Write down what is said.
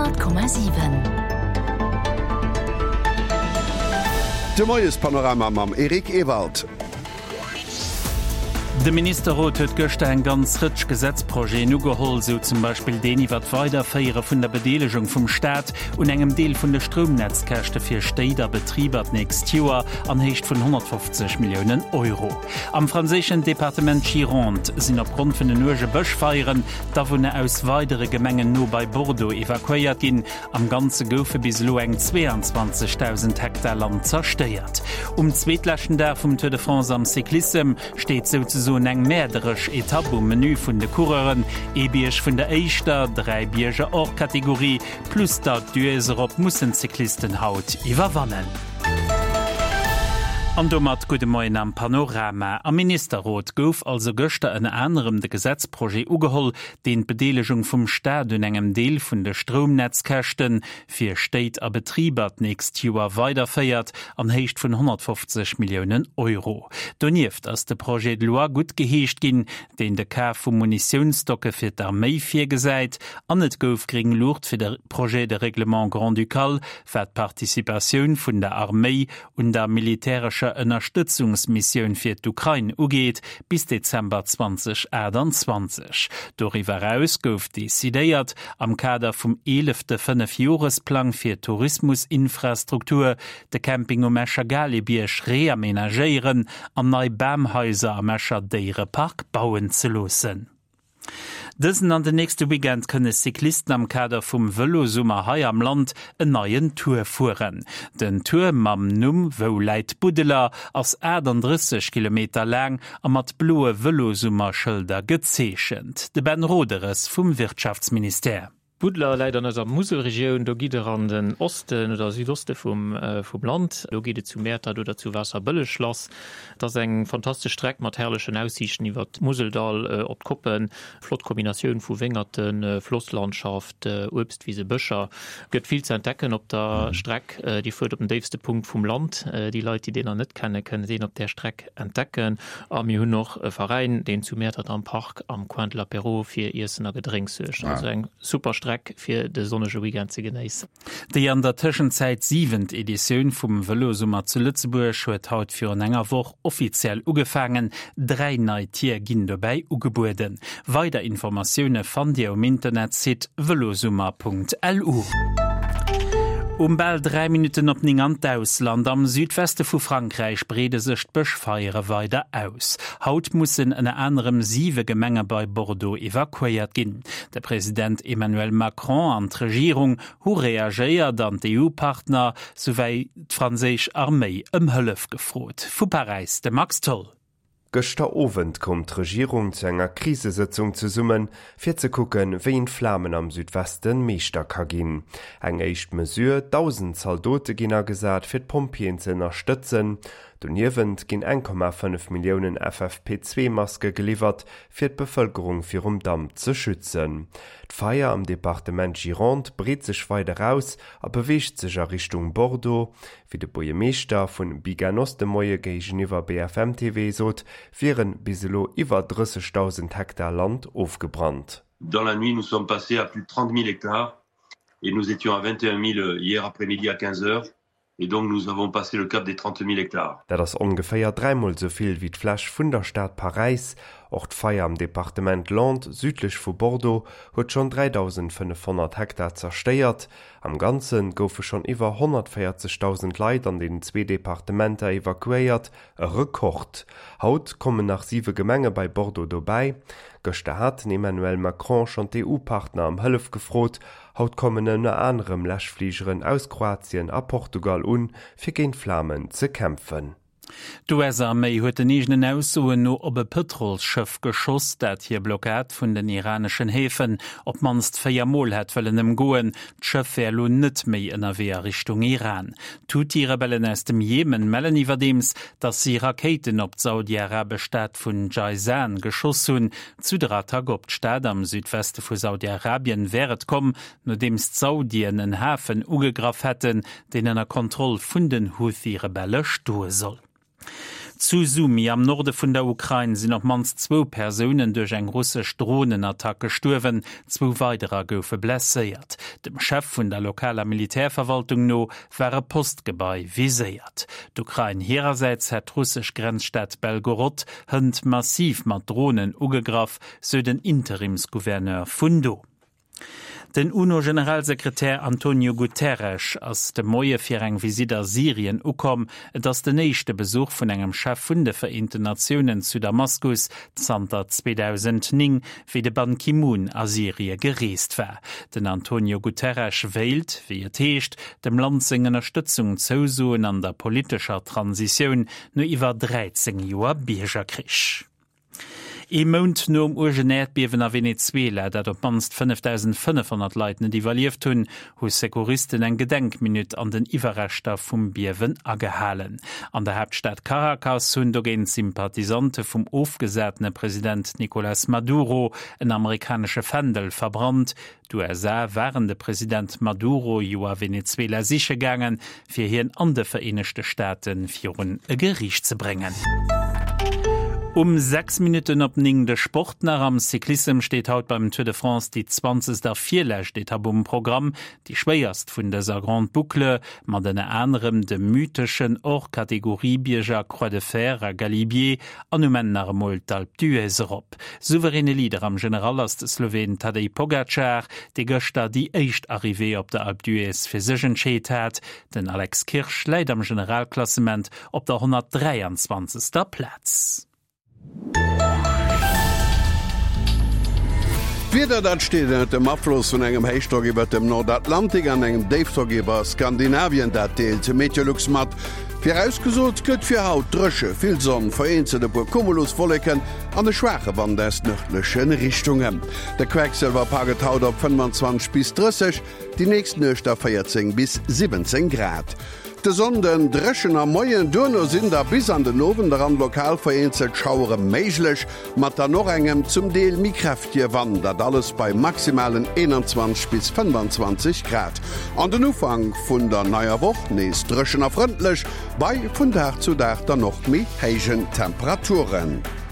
100,7. De Moiespanorama mam Eric Ewald. De Ministerrot huet gëschter eng ganz Rëtsch Gesetzprojeten ugeholl, sou zum Beispill deen iwwer d'Weiderféiere vun der Bedeelegung vum Staat un engem Deel vun de Stroumnetzkäschte fir Stéit a Betriber d'nächst Joer an Héicht vun 150 Milliounen Euro. Am franséischen Departement Gironde sinn opgrond vun den uerge Bëschfeieren d'Awunner aus weidere Gemengen no bei Bordeaux evakuéiert ginn. Am Ganze goufe bis elo eng 22.000 Hektar Land zerstéiert. Um zweetleschten Dag vum Tour de France am Cyclissem steet souzesoen eng mäerderesch Etapp um Menü vun de Coureuren. Ee Bierg vun der éischter, 3 Bierger hors Catégorie plus d'Alpe d'Huez erop mussen d'Cyclisten haut iwwerwannen. An domat gudde Moien am Panorama. Am Ministerrot gouf also gëschter ënner anerem de Gesetzprojet ugeholl, deen d'Bedeelegung vum Staat un engem Deel vun de Stroumnetzkäschte fir Stéit a Betriber d'nächst Joer weiderféiert, an Héicht vun 150 Milliounen Euro. Donieft ass de Projet de loi guttgeheescht ginn, deen de Kaf vu Munitiounsstocke fir d'Arméi virgesäit, an et gouf gréng Luucht fir de Projet de règlement grand-ducal, wat d'Participatioun vun der Arméi un der militärescher Ënnerstëtzungsmissioun fir d'Ukrain ugeet, bis Dezember 2028. Doriwwer eraus gouf decidéiert, am Kader vum eelefte Fënnefjoresplang fir Tourismusinfrastruktur de Camping um Escher Galebierg reamenagéieren an nei Bamhaiser am Escher Déierepark bauen ze loossen. Dësen an den nächste Weekend kënne Cyclisten am Kader vum Vëlosummer hei am Land en neien Tour fueren. Den Tour mam Numm Wou läit Buddeler ass 38 Kilometer laang a mat bloe Vëlosummer-Schëlder gezeechent. De Ben Roderes vum Wirtschaftsministère. Buddeler läit an eiser Muselregioun. Do gitt der an den Osten oder Südoste vum Land. Do geet et zu Mäertert oder zu Waasserbëlleg lass. Et ass eng fantastesch Streck mat herrlechen Aussiichten iwwer d'Museldall op d'Koppen. Flott Kombinatioun vu Wéngerten, Flosslandschaft, Uebstwise, Bëscher. Gëtt vill ze entdecken op der Streck. Dir fuert op den déifste Punkt vum Land. Déi Leit, déi deen nach net kennen, kënnen deen op där Streck entdecken. A mir hunn och e Veräin, deen zu Mäertert am Park am Coin de l'Apéro fir Iessen a Gedrénks suergt. Also eng super Streck fir de sonnege Weekend ze genéissen. Déi an der Tëschenzäit siwent Editioun vum Vëlosummer zu Lëtzebuerg huet haut virun enger Woch offiziell ugefaangen. 3 nei Tier ginn dobäi ugebueden. Weider Informatioune fannt Dir um Internetsite velosummer.lu. Um bal 3 Minutten op 9 an d'Ausland. Am Südweste vu Frankräich breede sech d'Bëschfeiere weider aus. Haut mussen ënner anerem siwe Gemenge bei Bordeaux evakuéiert ginn. De President Emmanuel Macron an d'Regierung hu reagéiert an d'EU-Partner souwéi d'franséisch Arméi ëm Hëllef gefrot. Vu Paräis de Max Tholl. Gëschter Owend koum d'Regierung zu enger Krisesëtzung zesummen, fir ze kucken, wéi een d'Flamen am Südweste Meeschter ka ginn. Eng éischt Mesure, 1.000 Zaldote ginn agesat, fir d'Pompjeeën ze ënnerstëtzen. Doniewent ginn 1,5 Milliounen FFP2-Maske geliwwert, fir d'Bevëlkerung virum Damp ze schützen. D'Feier am Departement Gironde breet sech weider aus a beweegt sech a Richtung Bordeaux. Wéi de Buergermeeschter vun Biganos de Moie géigeniwwer BFM TV sot, wieren bis elo iwwer 30.000 Hektar Land ofgebrannt. Dans la nuit, nous sommes passés à plus de 30 000 hectares et nous étions à 21 000 hier après-midi à 15 heures et donc nous avons passé le cap des 30 000 hectares. Dat ass ongeféier dräimol esou vill wéi d'Fläch vun der Stad Paräis. Och d'Feier am Departement Landes, südlech vu Bordeaux, huet schonn 3.500 Hektar zerstéiert. Am Ganze goufe schonn iwwer 140.000 Leit an den zwee Departementer evakuéiert, e Rekord. Haut kommen nach siwe Gemenge bei Bordeaux dobäi. Gëschter hat den Emmanuel Macron schonn d'EU-Partner ëm Hëllef gefrot. Haut kommen ënner anerem Läschfligeren aus Kroatien a Portugal un, fir géint d'Flamen ze kämpfen. D'US-Arméi huet den eegenen Aussoen no op e Pëtrolsschëff geschoss, dat hir Blockad vun den iraneschen Häfen op d'mannst 4 Mol hätt wëllen ëmgoen. D'Schëff wär elo net méi ënnerwee a Richtung Iran. D'Huthi-Rebellen aus dem Jemen mellen iwwerdeems, datt si Rakéiten op d'saudiarabesch Stad vun Jayzan geschoss hunn. Zu der Attack op d'Stad am Südweste vu Saudi-Arabien wär et komm, nodeems d'Saudien en Hafen ugegraff hätten, deen ënner Kontroll vun den Huthi-Rebelle stoe soll. Zu Sumy am Norde vun der Ukrain sinn op d'mannst zwou Persounen duerch eng russesch Dronenattack gestuerwen, zwou weiderer goufe blesséiert. Dem Chef vun der lokaler Militärverwaltung no war e Postgebai viséiert. D'Ukrain hirersäits hätt d'russesch Grenzstad Belgorod hënt massiv mat Dronen ugegraff, sou den Interimsgouverneur vun do. Den UNO-Generalsekretär Antonio Guterres ass de Moie fir eng Visitt a Syrien ukomm. Et ass den éischte Besuch vun engem Chef vun de Vereenten Natiounen zu Damaskus zanter 2009, wéi de Ban Ki-moon a Syrie gereest war. Den Antonio Guterres wéilt, wéi et heescht, dem Land seng Ënnerstëtzung zousoen an der politescher Transitioun no iwwer 13 Joer Biergerkrich. Ee Mount nom uergen Äerdbiewen a Venezuela, dat op d'mannst 5.500 Leit net iwwerlieft hunn, hu Secouristen eng Gedenkminutt an den Iwwerreschter vum Biewen agehalen. An der Haaptstad Caracas hunn dogéint Sympathisante vum ofgesatene President Nicolas Maduro en amerikanesche Fändel verbrannt. D'USA waren de President Maduro jo a Venezuela siche gaangen, fir hien an de Vereenegte Staate virun e Geriicht ze bréngen. Um 6 Minutten op 9 de Sport nach. Am Cyclissem steet haut beim Tour de France déi zwanzegst a virlescht Etapp um Programm, déi schwéierst vun dëser Grande Boucle, mat ënner anerem de mytheschen Hors-Catégorie-Bierger Croix de Fer a Galibier an um Enn nach emol d'Alpe d'Huez erop. Souveräne Leader am General ass de Sloween Tadej Pogacar, dee gëschter déi éischt Arrivée op der Alpe d'Huez fir sech entscheet hat. Den Alex Kirsch läit am Generalklassement op der 123. Plaz. D'Wieder, dat steet ënnert dem Afloss vun engem Héichdrock iwwert dem Nordatlantik an engem Déifdrock iwwer Skandinavien, dat deelt Meteolux mat. Virausgesot gëtt fir haut dréche, vill Sonn, vereenzelt e puer Cumuluswolleken an e schwaache Wand aus nërdleche Richtungen. De Quecksëlwer paakt et haut op 25 bis 30, déi nächst Nuecht da 14 bis 17 Grad. De Sonnden dréchen am Moien, duerno sinn da bis an den Owend eran lokal vereenzelt Schauere méiglech, mat dann och engem zum Deel méi kräftege Wand, dat alles bei maximalen 21 bis 25 Grad. An den Ufank vun der neier Woch nees dréchen a frëndlech, bei vun Dag zu Dag dann och méi héijen Temperaturen.